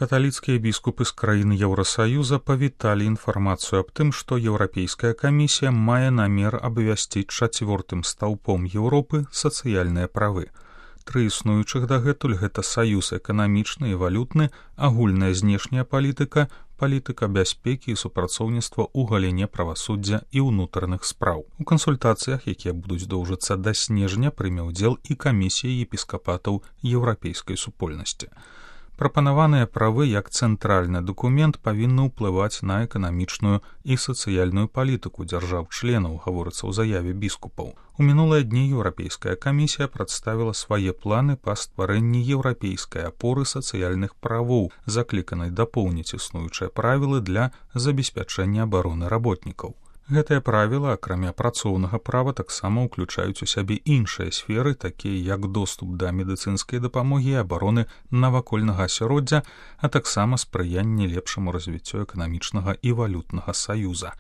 Каталіцкія біскупы з краін Еўрасаюза павіталі інфармацыю аб тым, што Еўрапейская камісія мае намер абвясціць чацвёртым стаўпом Еўропы сацыяльныя правы. Тры існуючых дагэтуль гэта саюз эканамічны і валютны, агульная знешняя палітыка, палітыка бяспекі і супрацоўніцтва ў галіне правасуддзя і ўнутраных спраў. У кансультацыях, якія будуць доўжыцца да снежня, прыме ўдзел і камісія епіскапатаў Еўрапейскай супольнасці. Прапанаваныя правы як цэнтральны дакумент павінны ўплываць на эканамічную і сацыяльную палітыку дзяржаў-членаў, гаворыцца ў заяве біскупаў. У мінулыя дні Еўрапейская камісія прадставіла свае планы па стварэнні еўрапейскай апоры сацыяльных правоў, закліканай дапоўніць існуючыя правілы для забеспячэння абароны работнікаў. Гэтыя правілы, акрамя працоўнага права, таксама ўключаюць у сябе іншыя сферы, такія як доступ да медыцынскай дапамогі і абароны навакольнага асяроддзя, а таксама спрыянне лепшаму развіццю эканамічнага і валютнага саюза.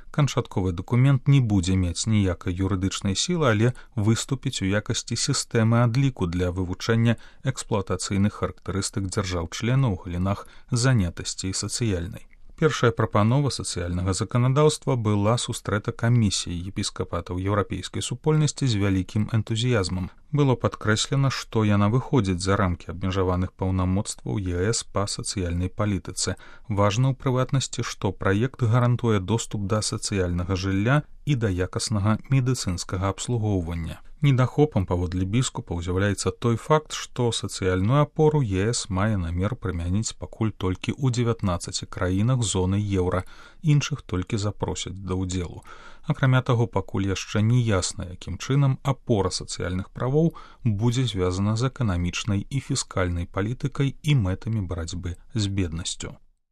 Канчатковы дакумент не будзе мець ніякай юрыдычнай сілы, але выступіць у якасці сістэмы адліку для вывучэння эксплуатацыйных характарыстык дзяржаў-членаў у галінах занятасці і сацыяльнай. Першая прапанова сацыяльнага заканадаўства была сустрэта камісіяй епіскапатаў Еўрапейскай супольнасці з вялікім энтузіязмам. Было падкрэслена, што яна выходзіць за рамкі абмежаваных паўнамоцтваў ЕС па сацыяльнай палітыцы. Важна ў прыватнасці, што праект гарантуе доступ да сацыяльнага жылля і да якаснага медыцынскага абслугоўвання. Недахопам паводле біскупаў з'яўляецца той факт, што сацыяльную апору ЕС мае намер прымяніць пакуль толькі ў 19 краінах зоны еўра, іншых толькі запросяць да ўдзелу. Акрамя таго, пакуль яшчэ не ясна, якім чынам апора сацыяльных правоў будзе звязана з эканамічнай і фіскальнай палітыкай і мэтамі барацьбы з беднасцю.